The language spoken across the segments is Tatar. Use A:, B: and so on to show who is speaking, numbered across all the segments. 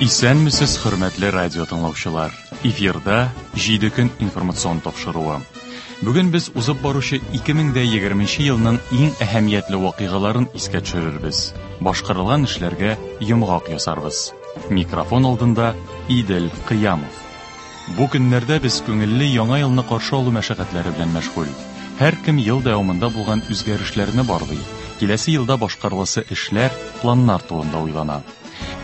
A: Исәнмесез, хөрмәтле радио тыңлаучылар. Эфирда 7 көн информацион тапшыруы. Бүген без узып баручы 2020 елның иң әһәмиятле вакыйгаларын искә төшерербез. Башкарылган эшләргә йомгак ясарбыз. Микрофон алдында Идел Кыямов. Бу көннәрдә без күңелле яңа елны каршы алу мәшәкатьләре белән мәшгуль. Һәркем ел дәвамында булган үзгәрешләрне барлый, киләсе елда башкарыласы эшләр, планнар турында уйлана.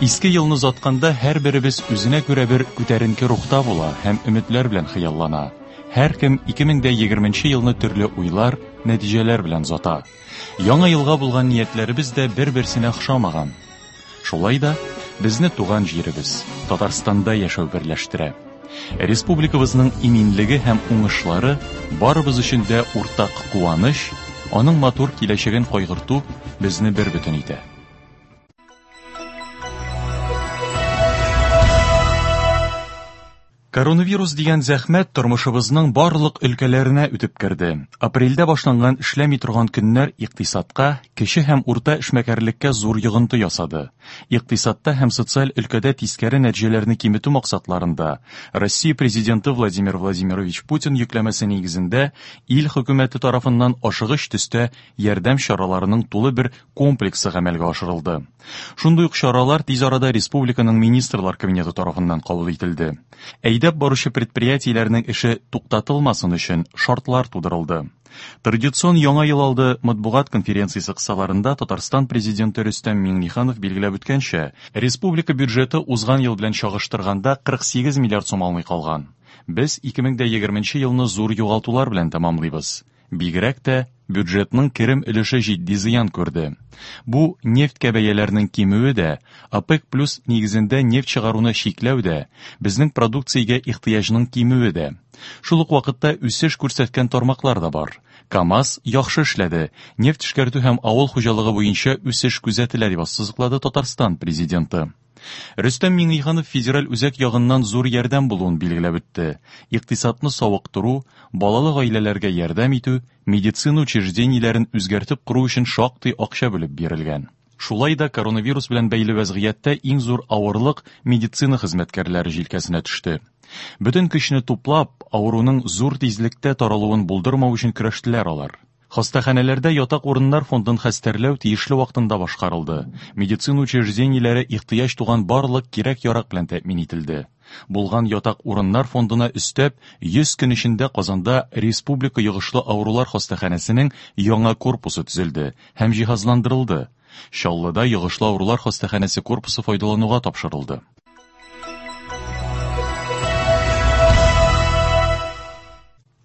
A: Иске елны озатканда һәрберебез үзенә күрә бер күтәренке рухта була һәм өметләр белән хыяллана. Һәркем 2020 елны төрле уйлар, нәтиҗәләр белән озата. Яңа елга булган ниятләребез дә бер-берсенә охшамаган. Шулай да безне туган җиребез, Татарстанда яшәү берләштерә. Республикабызның иминлеге һәм уңышлары барыбыз өчен дә уртак куаныч, аның матур киләчәген кайгырту безне бербөтен итә. Коронавирус дигән зәхмәт тормышыбызның барлык өлкәләренә үтеп керде. Апрельдә башланган эшләми торган көннәр икътисадка, кече һәм урта эшмәкәрлеккә зур йогынты ясады. Икътисадта һәм социаль өлкәдә тискәре нәтиҗәләрне киметү максатларында Россия Президенты Владимир Владимирович Путин йөкләмәсе нигезендә ил хөкүмәте тарафыннан ашыгыч төстә ярдәм чараларының тулы бер комплексы гамәлгә ашырылды. Шундый ук чаралар тиз арада республиканың Министрлар Кабинеты тарафыннан кабул ителде. Әйдәп баручы предприятиеләрнең эше туктатылмасын өчен шартлар тудырылды. Традицион Яңа ел алды матбугат конференциясе кысаларында Татарстан Президенты Рөстәм Миңнеханов билгеләп үткәнчә, республика бюджеты узган ел белән чагыштырганда 48 миллиард сум алмый калган. Без 2020 елны зур югалтулар белән тәмамлыйбыз. Бигрәк тә бюджетның керем өлеше җитди зыян күрде. Бу нефтькә бәяләрнең кимүе дә, ОПЕК плюс нигезендә нефть чыгаруны чикләү дә, безнең продукциягә ихтыяҗның кимүе дә. Шул ук вакытта үсеш күрсәткән тармаклар да бар. КАМАЗ яхшы эшләде, нефть эшкәртү һәм авыл хуҗалыгы буенча үсеш күзәтелә, дип ассызыклады Татарстан Президенты. Рөстәм Миңнеханов федераль үзәк ягыннан зур ярдәм булуын билгеләп үтте. Икътисадны савыктыру, балалы гаиләләргә ярдәм итү, медицина учреждениеләрен үзгәртеп кору өчен шактый акча бүлеп бирелгән. Шулай да коронавирус белән бәйле вәзгыятьтә иң зур авырлык медицина хезмәткәрләре җилкәсенә төште. Бөтен көчне туплап, авыруның зур тизлектә таралуын булдырмау өчен көрәштеләр алар. Хастаханәләрдә ятак урыннар фондын хәстәрләү тиешле вакытында башкарылды. Медицина учреждениеләре ихтыяҗ туган барлык кирәк-ярак белән тәэмин ителде. Булган ятак урыннар фондына өстәп, 100 көн эчендә Казанда Республика йогышлы авырулар хастаханәсенең яңа корпусы төзелде һәм җиһазландырылды. Чаллыда йогышлы авырулар хастаханәсе корпусы файдалануга тапшырылды.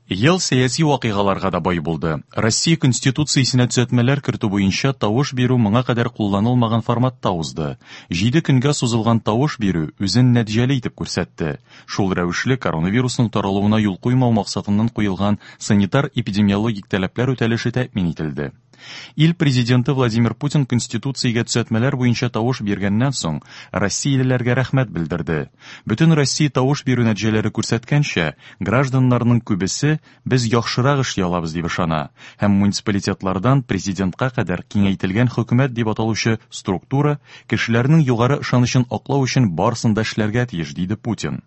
A: Ел сәяси вакыйгаларга да бай булды. Россия Конституциясенә төзәтмәләр кертү буенча тавыш бирү моңа кадәр кулланылмаган форматта узды. 7 көнгә сузылган тавыш бирү үзен нәтиҗәле итеп күрсәтте. Шул рәвешле коронавирусның таралуына юл куймау максатыннан куелган санитар-эпидемиологик таләпләр үтәлеше тәэмин ителде. Ил президенты Владимир Путин Конституциягә төзәтмәләр буенча тавыш биргәннән соң, россиялеләргә рәхмәт белдерде. Бөтен Россия тавыш бирү нәтиҗәләре күрсәткәнчә, гражданнарның күбесе без яхшырак эшли алабыз дип ышана һәм муниципалитетлардан президентка кадәр киңәйтелгән хөкүмәт дип аталучы структура кешеләрнең югары ышанычын аклау өчен барысын да эшләргә тиеш, диде Путин.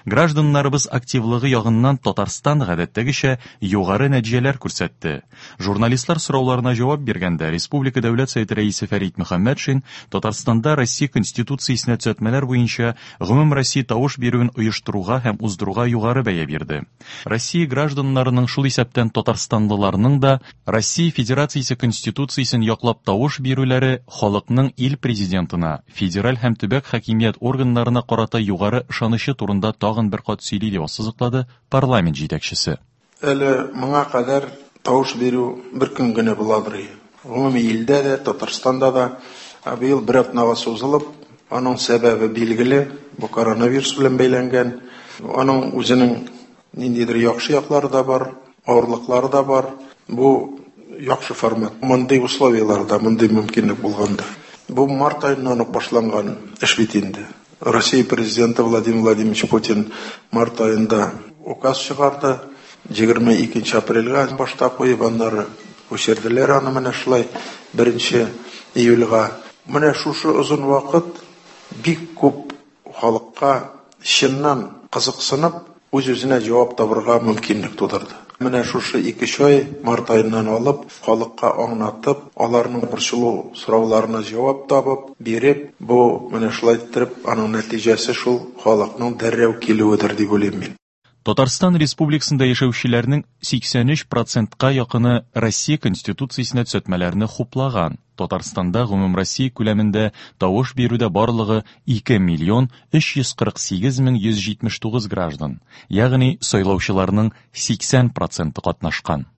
A: Гражданнарыбыз активлыгы ягыннан Татарстан гадәттәгечә югары нәтиҗәләр күрсәтте. Журналистлар сорауларына җавап биргәндә Республика Дәүләт Советы Рәисе Фәрит Мөхәммәтшин Татарстанда Россия Конституциясенә төзәтмәләр буенча гомумроссия тавыш бирүен оештыруга һәм уздыруга югары бәя бирде. Россия гражданнарының, шул исәптән татарстанлыларның да, Россия Федерациясе Конституциясен яклап тавыш бирүләре халыкның ил Президентына, федераль һәм төбәк хакимият органнарына карата югары ышанычы турында тагын бер кат сөйли, дип ассызыклады парламент җитәкчесе.
B: Әле моңа кадәр тавыш бирү бер көн генә буладыр иде. Гомуми илдә дә, Татарстанда да. Ә быел бер атнага сузылып, аның сәбәбе билгеле, бу коронавирус белән бәйләнгән. Аның үзенең ниндидер яхшы яклары да бар, авырлыклары да бар. Бу яхшы формат. Мондый условияләрдә, мондый мөмкинлек булганда. Бу март аеннан ук башланган эш бит инде. Россия президенты Владимир Владимирович Путин март аенда указ чыгарды. 22 апрельгә башта куеп, аннары күчерделәр аны менә шулай 1 июльгә. Менә шушы озын вакыт бик күп халыкка чыннан кызыксынып, үз-үзенә җавап табырга мөмкинлек тудырды. Менә шушы 2-3 ай, март аеннан алып, халыкка аңлатып, аларның борчылу сорауларына җавап табып, биреп, бу менә шулай иттереп, аның нәтиҗәсе шул халыкның дәррәү килүедер дип уйлыйм мин.
A: Татарстан Республикасында яшәүчеләрнең 83 процентка якыны Россия Конституциясенә төзәтмәләрне хуплаган. Татарстанда гомумроссия күләмендә тавыш бирүдә барлыгы 2 миллион 348 мең 179 граждан, ягъни сайлаучыларның 80 проценты катнашкан.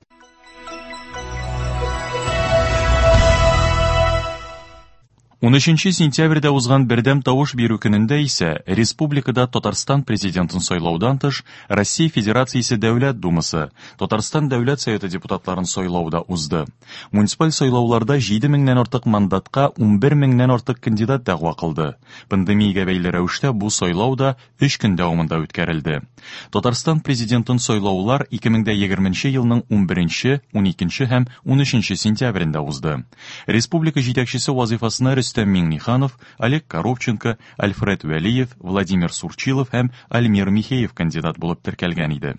A: 13 сентябрьдә узган бердәм тавыш бирү көнендә исә республикада Татарстан президентын сайлаудан тыш Россия Федерациясе Дәүләт Думасы, Татарстан Дәүләт Советы депутатларын сайлау да узды. Муниципаль сайлауларда 7 меңнән артык мандатка 11 меңнән артык кандидат дәгъва кылды. Пандемиягә бәйле рәвештә бу сайлау да 3 көн дәвамында үткәрелде. Татарстан президентын сайлаулар 2020 елның 11, 12 һәм 13 сентябрендә узды. Республика җитәкчесе вазифасына Рөстәм Миңнеханов, Олег Коробченко, Альфред Вәлиев, Владимир Сурчилов һәм Альмир Михеев кандидат булып теркәлгән иде.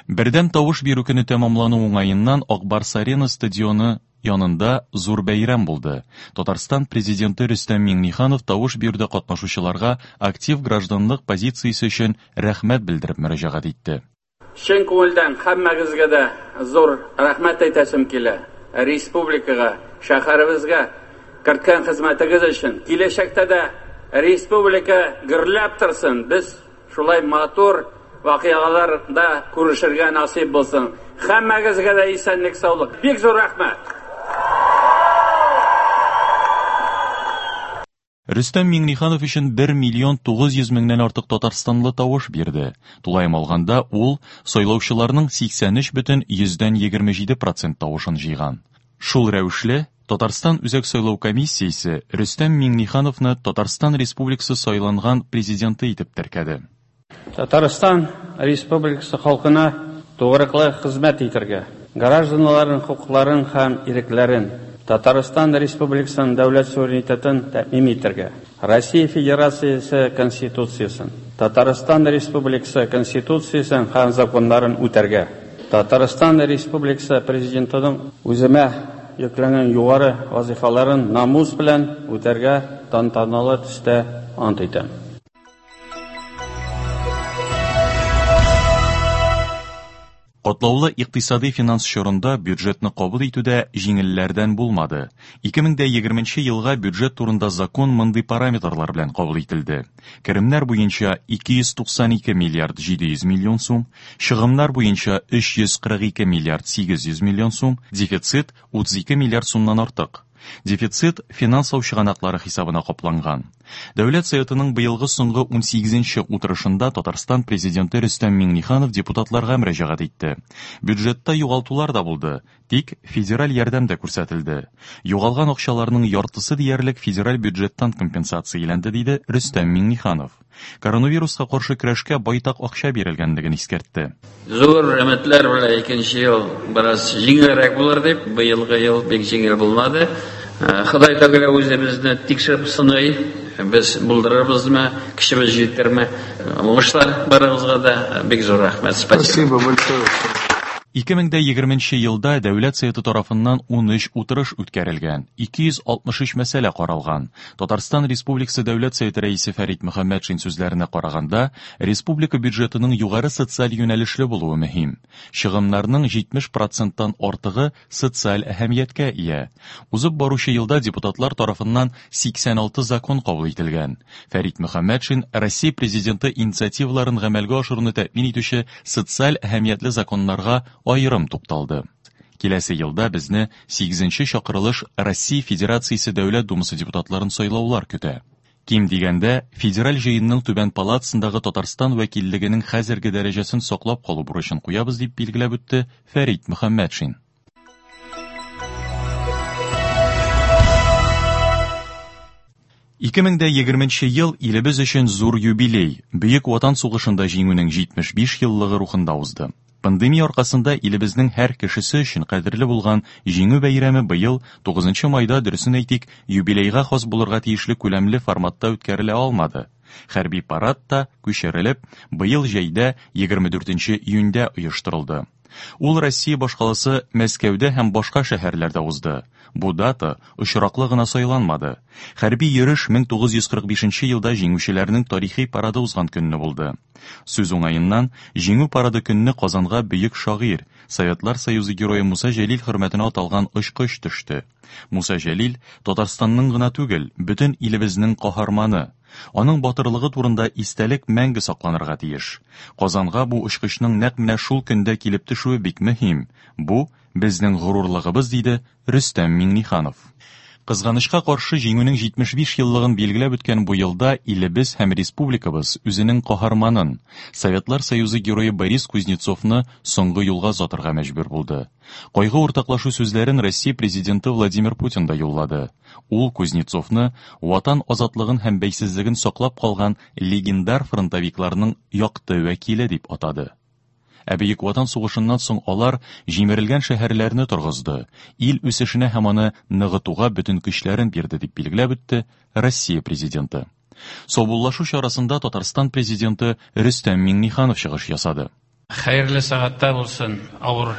A: Бердәм тавыш бирү көне тәмамлану уңаеннан Ак Барс Арена стадионы янында зур бәйрәм булды. Татарстан президенты Рөстәм Миңнеханов тавыш бирүдә катнашучыларга актив гражданлык позициясе өчен рәхмәт белдереп мөрәҗәгать итте.
C: Чын күңелдән һәммәгезгә дә зур рәхмәт әйтәсем килә. Республикага, шәһәребезгә керткән хезмәтегез өчен. Киләчәктә дә республика гөрләп торсын. Без шулай матур вакыйгаларда күрешергә насыйп булсын. Һәммәгезгә дә исәнлек, саулык. Бик зур рәхмәт.
A: Рөстәм Миңнеханов өчен 1 миллион 900 меңнән артык татарстанлы тавыш бирде. Тулаем алганда, ул сайлаучыларның 83,27 процент тавышын җыйган. Шул рәвешле, Татарстан Үзәк сайлау комиссиясе Рөстәм Миңнехановны Татарстан Республикасы сайланган президенты итеп теркәде.
C: Татарстан Республикасы халкына тугрылыклы хезмәт итәргә, гражданнарның хокукларын һәм ирекләрен, Татарстан Республикасының дәүләт суверенитетын тәэмин итәргә, Россия Федерациясе Конституциясен, Татарстан Республикасы Конституциясен һәм законнарын үтәргә, Татарстан Республикасы Президентының үземә йөкләнгән югары вазифаларын намус белән үтәргә тантаналы төстә ант итәм.
A: Катлаулы икътисади финанс чорында бюджетны кабул итүдә җиңелләрдән булмады. 2020 елга бюджет турында закон мондый параметрлар белән кабул ителде. Керемнәр буенча 292 миллиард 700 миллион сум, чыгымнар буенча 342 миллиард 800 миллион сум, дефицит 32 миллиард сумнан артык. Дефицит финанслау чыганаклары хисабына капланган. Дәүләт Советының быелгы соңгы 18нче утырышында Татарстан президенты Рөстәм Миңнеханов депутатларга мөрәҗәгать итте. Бюджетта югалтулар да булды, тик федераль ярдәм дә күрсәтелде. Югалган акчаларның яртысы диярлек федераль бюджеттан компенсацияләнде, диде Рөстәм Миңнеханов. Коронавируска каршы көрәшкә байтак акча бирелгәнлеген искәртте.
C: Зур өметләр белән икенче ел бераз җиңелрәк булыр дип, быелгы ел бик җиңел булмады. Ходай Тәгалә үзе безне тикшереп сыный, без булдырырбызмы, көчебез җитерме. Уңышлар барыгызга да, бик зур рәхмәт.
B: Спасибо большое.
A: 2020 елда Дәүләт Советы тарафыннан 13 утырыш үткәрелгән, 263 мәсьәлә каралган. Татарстан Республикасы Дәүләт Советы рәисе Фәрит Мөхәммәтшин сүзләренә караганда, республика бюджетының югары социаль юнәлешле булуы мөһим. Чыгымнарның 70 проценттан артыгы социаль әһәмияткә ия. Узып баручы елда депутатлар тарафыннан 86 закон кабул ителгән. Фәрит Мөхәммәтшин Россия президенты инициативаларын гамәлгә ашыруны тәэмин итүче социаль әһәмиятле законнарга аерым тукталды. Киләсе елда безне 8нче чакырылыш Россия Федерациясе Дәүләт Думасы депутатларын сайлаулар көтә. Ким дигәндә, Федераль җыенның Түбән палатасындагы Татарстан вәкиллегенең хәзерге дәрәҗәсен саклап калу бурычын куябыз, дип билгеләп үтте Фәрит Мөхәммәтшин. 2020 ел илебез өчен зур юбилей, Бөек Ватан сугышында җиңүнең 75 еллыгы рухында узды. Пандемия аркасында илебезнең һәр кешесе өчен кадерле булган Җиңү бәйрәме быел 9 майда, дөресен әйтик, юбилейга хас булырга тиешле күләмле форматта үткәрелә алмады. Хәрби парад та күчерелеп, быел җәйдә 24 июньдә оештырылды. Ул Россия башкаласы Мәскәүдә һәм башка шәһәрләрдә узды. Бу дата очраклы гына сайланмады. Хәрби йөреш 1945 елда җиңүчеләрнең тарихи парады узган көнне булды. Сүз уңаеннан, Җиңү парады көнне Казанга бөек шагыйрь, Советлар Союзы герое Муса Җәлил хөрмәтенә аталган очкыч төште. Муса Җәлил Татарстанның гына түгел, бөтен илебезнең каһарманы. Аның батырлыгы турында истәлек мәңге сакланырга тиеш. Казанга бу очкычның нәкъ менә шул көндә килеп төшүе бик мөһим. Бу безнең горурлыгыбыз, диде Рөстәм Миңнеханов. Кызганычка каршы, Җиңүнең 75 еллыгын билгеләп үткән бу елда илебез һәм республикабыз үзенең каһарманын, Советлар Союзы герое Борис Кузнецовны соңгы юлга озатырга мәҗбүр булды. Кайгы уртаклашу сүзләрен Россия президенты Владимир Путин да юллады. Ул Кузнецовны Ватан азатлыгын һәм бәйсезлеген саклап калган легендар фронтовикларның якты вәкиле дип атады. Ә Бөек Ватан сугышыннан соң алар җимерелгән шәһәрләрне торгызды, ил үсешенә һәм аны ныгытуга бөтен көчләрен бирде, дип билгеләп үтте Россия президенты. Саубуллашу чарасында Татарстан президенты Рөстәм Миңнеханов чыгыш ясады.
C: Хәерле сәгатьтә булсын, авыр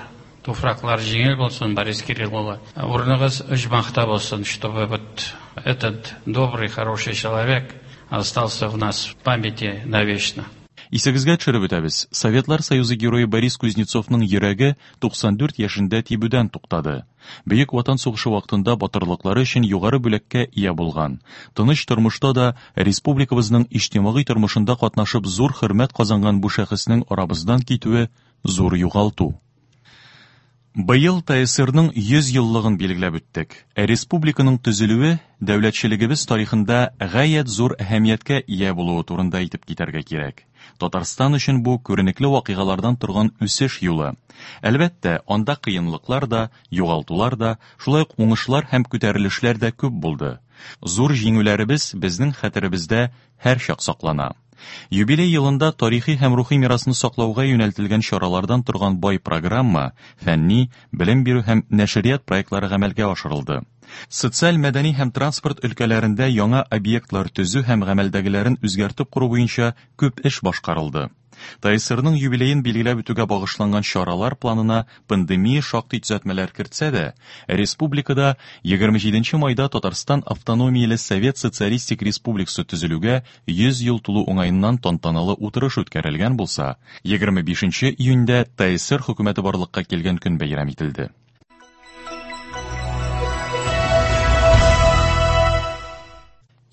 C: туфраклар җиңел булсын, Борис Кирилл улы. Урыныгыз оҗмахта булсын, чтобы вот этот добрый, хороший человек остался в нас в памяти навечно.
A: Исегезгә төшереп үтәбез, Советлар Союзы герое Борис Кузнецовның йөрәге 94 яшендә тибүдән туктады. Бөек Ватан сугышы вакытында батырлыклары өчен югары бүләккә ия булган, тыныч тормышта да республикабызның иҗтимагый тормышында катнашып зур хөрмәт казанган бу шәхеснең арабыздан китүе зур югалту. Быел ТСРның 100 еллыгын билгеләп үттек. Ә республиканың төзелүе дәүләтчелегебез тарихында гаять зур әһәмияткә ия булуы турында әйтеп китәргә кирәк. Татарстан өчен бу күренекле вакыйгалардан торган үсеш юлы. Әлбәттә, анда кыенлыклар да, югалтулар да, шулай ук уңышлар һәм күтәрелешләр дә күп булды. Зур җиңүләребез безнең хәтеребездә һәрчак саклана. Юбилей елында тарихи һәм рухи мирасны саклауга юнәлтелгән чаралардан торган бай программа, фәнни, белем бирү һәм нәшрият проектлары гамәлгә ашырылды. Социаль, мәдәни һәм транспорт өлкәләрендә яңа объектлар төзү һәм гамәлдәгеләрен үзгәртеп кору буенча күп эш башкарылды. ТСРның юбилеен билгеләп үтүгә багышланган чаралар планына пандемия шактый төзәтмәләр кертсә дә, республикада 27 майда Татарстан автономияле Совет Социалистик Республикасы төзелүгә 100 ел тулу уңаеннан тантаналы утырыш үткәрелгән булса, 25 июньдә ТСР хөкүмәте барлыкка килгән көн бәйрәм ителде.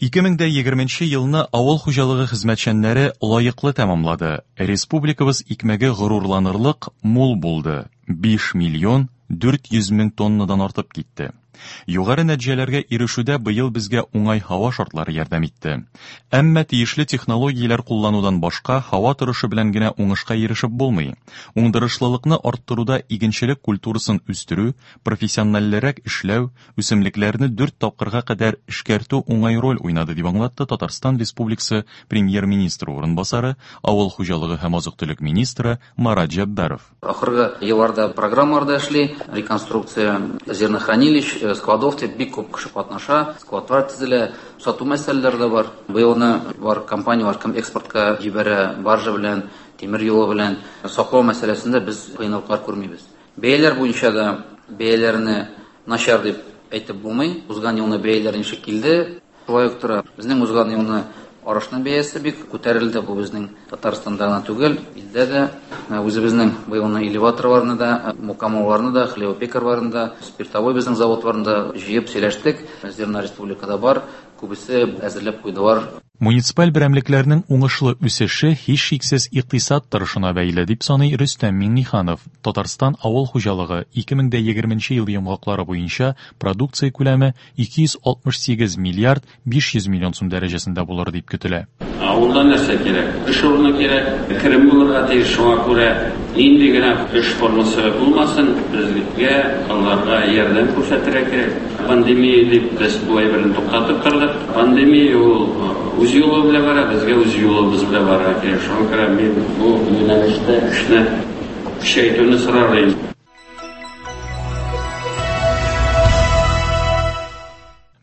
A: 2020 елны авыл хуҗалыгы хезмәтчәннәре лаеклы тәмамлады. Республикабыз икмәге горурланырлык мул булды. 5 миллион 400 мең тоннадан артып китте. Югары нәтиҗәләргә ирешүдә быел безгә уңай һава шартлары ярдәм итте. Әмма тиешле технологияләр кулланудан башка һава торышы белән генә уңышка ирешеп булмый. Уңдырышлылыкны арттыруда игенчелек культурасын үстерү, профессиональрәк эшләү, үсемлекләрне 4 тапкырга кадәр эшкәртү уңай роль уйнады, дип аңлатты Татарстан Республикасы премьер-министры урынбасары, авыл хуҗалыгы һәм азык-төлек министры Марат Җәббаров.
D: Ахыргы елларда программаларда эшли, реконструкция зернохранилищ, складов дип бик күп кеше катнаша, складлар төзелә, сату мәсьәләләре дә бар. Быелны бар компанияләр кем экспортка җибәрә, баржа белән, тимер юлы белән саклау мәсьәләсендә без кыенлыклар күрмибез. Бәяләр буенча да бәяләрне начар дип әйтеп булмый. Узган елны бәяләр ничек килде, шулай ук тора. Безнең узган елны арышның бәясе бик күтәрелде. Бу безнең Татарстанда гына түгел, илдә дә. Үзебезнең быелны элеваторларны да, мукамолларны да, хлебопекарларны да, спиртовой безнең заводларны да җыеп сөйләштек. Зерна республикада бар, күбесе әзерләп куйдылар.
A: Муниципаль берәмлекләрнең уңышлы үсеше һичшиксез икътисад торышына бәйле, дип саный Рөстәм Миңнеханов. Татарстан авыл хуҗалыгы 2020 ел йомгаклары буенча продукция күләме 268 миллиард 500 миллион сум дәрәҗәсендә булыр дип көтелә.
C: Авылда нәрсә кирәк? Эш урыны кирәк, керем булырга тиеш, шуңа күрә нинди генә эш формасы булмасын, безгә аларга ярдәм күрсәтергә кирәк. Пандемия дип без бу әйберне туктатып тордык. Пандемия ул үз юлы белән бара, безгә үз юлыбыз белән барырга кирәк. Шуңа күрә мин бу юнәлештә эшне Көчәйтүне сорар идем.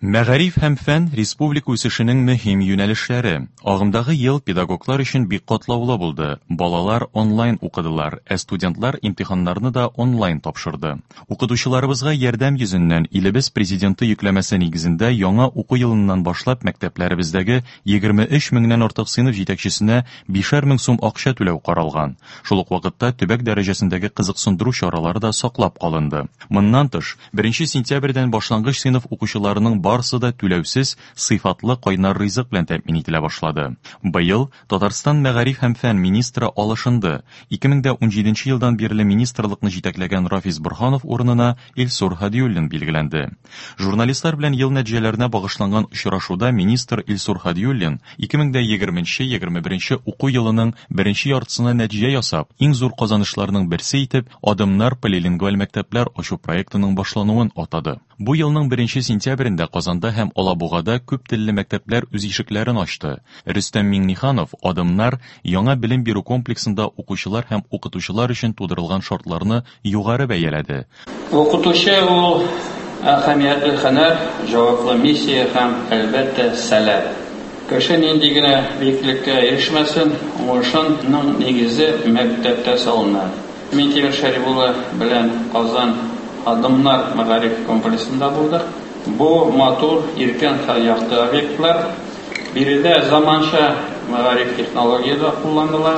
A: Мәгариф һәм фән республика үсешенең мөһим юнәлешләре. Агымдагы ел педагоглар өчен бик катлаулы булды. Балалар онлайн укыдылар, ә студентлар имтиханнарны да онлайн тапшырды. Укытучыларыбызга ярдәм йөзеннән илебез президенты йөкләмәсе нигезендә яңа уку елыннан башлап мәктәпләребездәге 23 меңнән артык сыйныф җитәкчесенә 5 мең сум акча түләү каралган. Шул ук вакытта төбәк дәрәҗәсендәге кызыксындыру чаралары да саклап калынды. Моннан тыш, 1 сентябрьдән башлангыч сыйныф укучыларының барысы да түләүсез, сыйфатлы кайнар ризык белән тәэмин ителә башлады. Быел Татарстан мәгариф һәм фән министры алышынды. 2017 елдан бирле министрлыкны җитәкләгән Рафис Борһанов урынына Илсур Һадиуллин билгеләнде. Журналистлар белән ел нәтиҗәләренә багышланган очрашуда министр Илсур Һадиуллин 2020-21 уку елының беренче яртысына нәтиҗә ясап, иң зур казанышларның берсе итеп Адымнар полилингваль мәктәпләр ачу проектының башлануын атады. Бу елның 1 сентябрендә Казанда һәм Алабугада күп телле мәктәпләр үз ишекләрен ачты. Рөстәм Миңнеханов Адымнар яңа белем бирү комплексында укучылар һәм укытучылар өчен тудырылган шартларны югары бәяләде.
C: Укытучы ул әһәмиятле һөнәр, җаваплы миссия һәм, әлбәттә, сәләт. Кеше нинди генә биеклеккә ирешмәсен, уңышының нигезе мәктәптә салына. Минтимер Шәрип улы белән Казан Адымнар мәгариф комплексында булдык. Бу матур, иркен һәм якты объектлар. Биредә заманча мәгариф технологияләре кулланыла.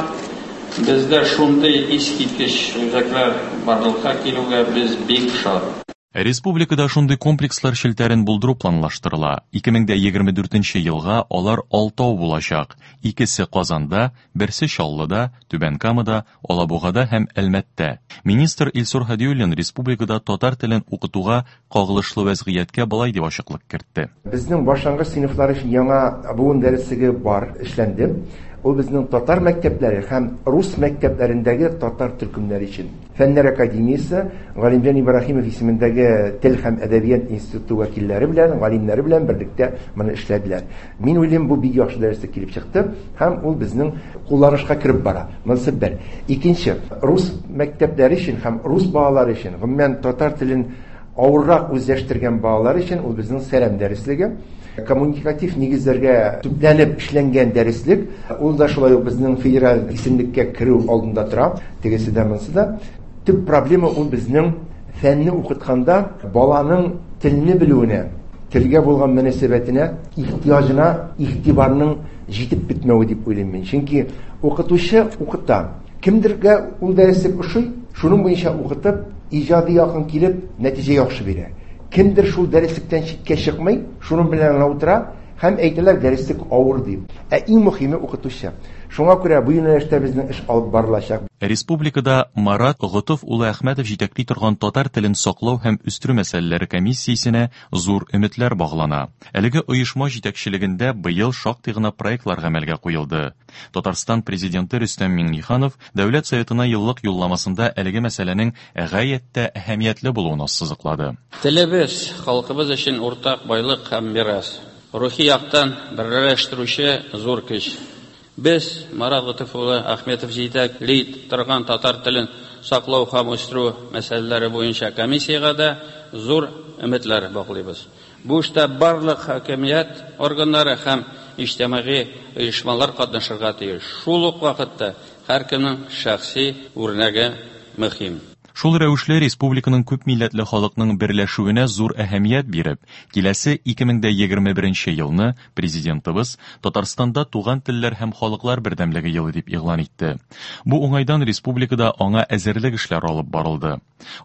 C: Бездә шундый искиткеч үзәкләр барлыкка килүгә без бик шат.
A: Республикада шундый комплекслар челтәрен булдыру планлаштырыла. 2024 елга алар 6 булачак. Икесе Казанда, берсе Чаллыда, Түбән Камада, Алабугада һәм Әлмәттә. Министр Илсур Һадиуллин республикада татар телен укытуга кагылышлы вәзгыятькә болай дип ачыклык кертте.
E: Безнең башлангыч сыйныфлар өчен яңа буын дәреслеге бар, эшләнде. Ул безнең татар мәктәпләре һәм рус мәктәпләрендәге татар төркемнәре өчен. Фәннәр академиясе Галимҗан Ибраһимов исемендәге тел һәм әдәбият институты вәкилләре белән, галимнәре белән берлектә моны эшләделәр. Мин уйлыйм, бу бик яхшы дәреслек килеп чыкты һәм ул безнең кулланышка кереп бара. Монысы бер. Икенче, рус мәктәпләре өчен һәм рус балалары өчен, гомумән татар телен авыррак үзләштергән балалар өчен ул безнең сәлам дәреслеге. Коммуникатив нигезләргә төпләнеп эшләнгән дәреслек, ул да шулай ук безнең федераль исемлеккә керү алдында тора, тегесе дә монысы да. Төп проблема ул безнең фәнне укытканда баланың телне белүенә, телгә булган мөнәсәбәтенә, ихтыяҗына игътибарның җитеп бетмәве дип уйлыйм мин. Чөнки укытучы укыта. Кемдергә ул дәреслек ошый, шуның буенча укытып, иҗади якын килеп, нәтиҗә яхшы бирә. Кемдер шул дәреслектән читкә чыкмый, шуның белән генә утыра һәм әйтәләр дәреслек авыр дип. Ә иң мөһиме укытучы. Шуңа күрә бу юнәлештә безнең эш алып барылачак.
A: Республикада Марат Готыф улы Әхмәтов җитәкли торган татар телен саклау һәм үстерү мәсьәләләре комиссиясенә зур өметләр баглана. Әлеге оешма җитәкчелегендә быел шактый гына проектлар гамәлгә куелды. Татарстан президенты Рөстәм Миңнеханов Дәүләт Советына еллык юлламасында әлеге мәсьәләнең гаять тә әһәмиятле булуын ассызыклады.
C: Телебез халкыбыз өчен уртак байлык һәм мирас. Рухи яктан берләштерүче зур көч. Без Марат Готыф улы Әхмәтов җитәкли торган татар телен саклау һәм үстерү мәсьәләләре буенча комиссиягә дә зур өметләр баглыйбыз. Бу эштә барлык хакимият органнары һәм иҗтимагый оешмалар катнашырга тиеш. Шул ук вакытта һәркемнең шәхси үрнәге мөһим.
A: Шул рәвешле республиканың күп милләтле халыкның берләшүенә зур әһәмият биреп, киләсе 2021 елны президентыбыз Татарстанда туган телләр һәм халыклар бердәмлеге елы дип игълан итте. Бу уңайдан республикада аңа әзерлек эшләре алып барылды.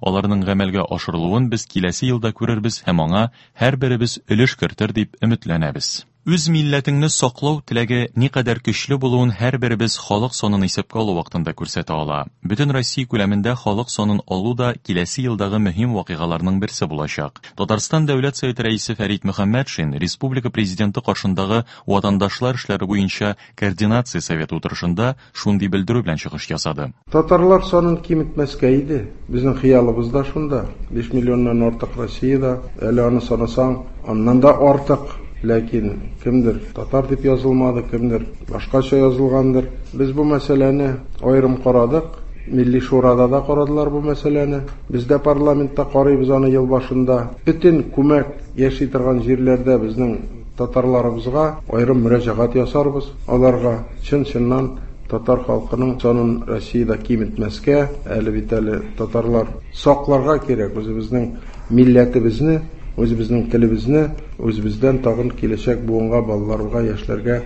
A: Аларның гамәлгә ашырылуын без киләсе елда күрербез һәм аңа һәрберебез өлеш кертер дип өметләнәбез. Үз милләтеңне саклау теләге никадәр көчле булуын һәрберебез халык санын исәпкә алу вакытында күрсәтә ала. Бөтен Россия күләмендә халык санын алу да киләсе елдагы мөһим вакыйгаларның берсе булачак. Татарстан Дәүләт Советы рәисе Фәрит Мөхәммәтшин Республика президенты каршындагы ватандашлар эшләре буенча координация советы утырышында шундый белдерү белән чыгыш ясады.
B: Татарлар санын киметмәскә иде. Безнең хыялыбыз да шунда. 5 миллионнан артык Россиядә, әле аны санасаң, аннан да артык. Ләкин кемдер татар дип язылмады, кемдер башкача язылгандыр. Без бу мәсьәләне аерым карадык. Милли шурада да карадылар бу мәсьәләне. Без дә парламентта карыйбыз аны ел башында. Бөтен күмәк яши торган җирләрдә безнең татарларыбызга аерым мөрәҗәгать ясарбыз. Аларга чын-чыннан татар халкының санын Россиядә киметмәскә, әле бит әле татарлар сакларга кирәк үзебезнең милләтебезне, үзебезнең телебезне, үзебездән тагын киләчәк буынга, балаларга, яшьләргә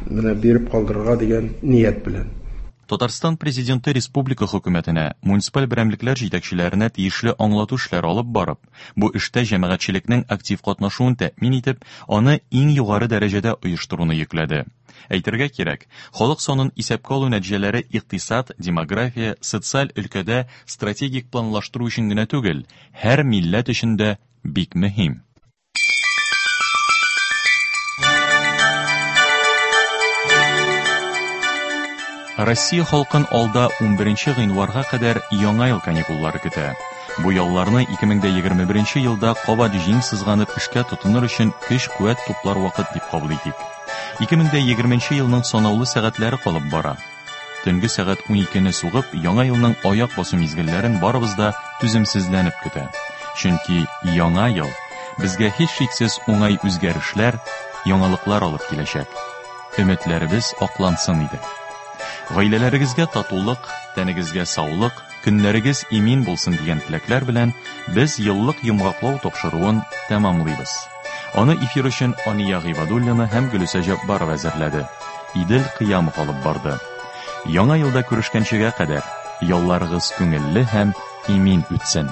B: менә биреп калдырырга дигән ният белән.
A: Татарстан Президенты республика хөкүмәтенә, муниципаль берәмлекләр җитәкчеләренә тиешле аңлату эшләре алып барып, бу эштә җәмәгатьчелекнең актив катнашуын тәэмин итеп, аны иң югары дәрәҗәдә оештыруны йөкләде. Әйтергә кирәк, халык санын исәпкә алу нәтиҗәләре икътисад, демография, социаль өлкәдә стратегик планлаштыру өчен генә түгел, һәр милләт өчен дә бик мөһим. Россия халкын алда 11 гыйнварга кадәр Яңа ел каникуллары көтә. Бу ялларны 2021 елда кабат җиң сызганып эшкә тотыныр өчен көч-куәт туплар вакыт дип кабул итик. 2020 елның санаулы сәгатьләре калып бара. Төнге сәгать 12-не сугып, яңа елның аяк басу мизгелләрен барыбыз да түземсезләнеп көтә. Чөнки яңа ел безгә һичшиксез уңай үзгәрешләр, яңалыклар алып киләчәк. Өметләребез аклансын иде. Гаиләләрегезгә татулык, тәнегезгә саулык, көннәрегез имин булсын дигән теләкләр белән без еллык йомгаклау тапшыруын тәмамлыйбыз. Аны эфир өчен Ания Гыйбадуллина һәм Гөлүсә Җаббарова әзерләде. Идел Кыямов алып барды. Яңа елда күрешкәнчегә кадәр ялларыгыз күңелле һәм имин үтсен.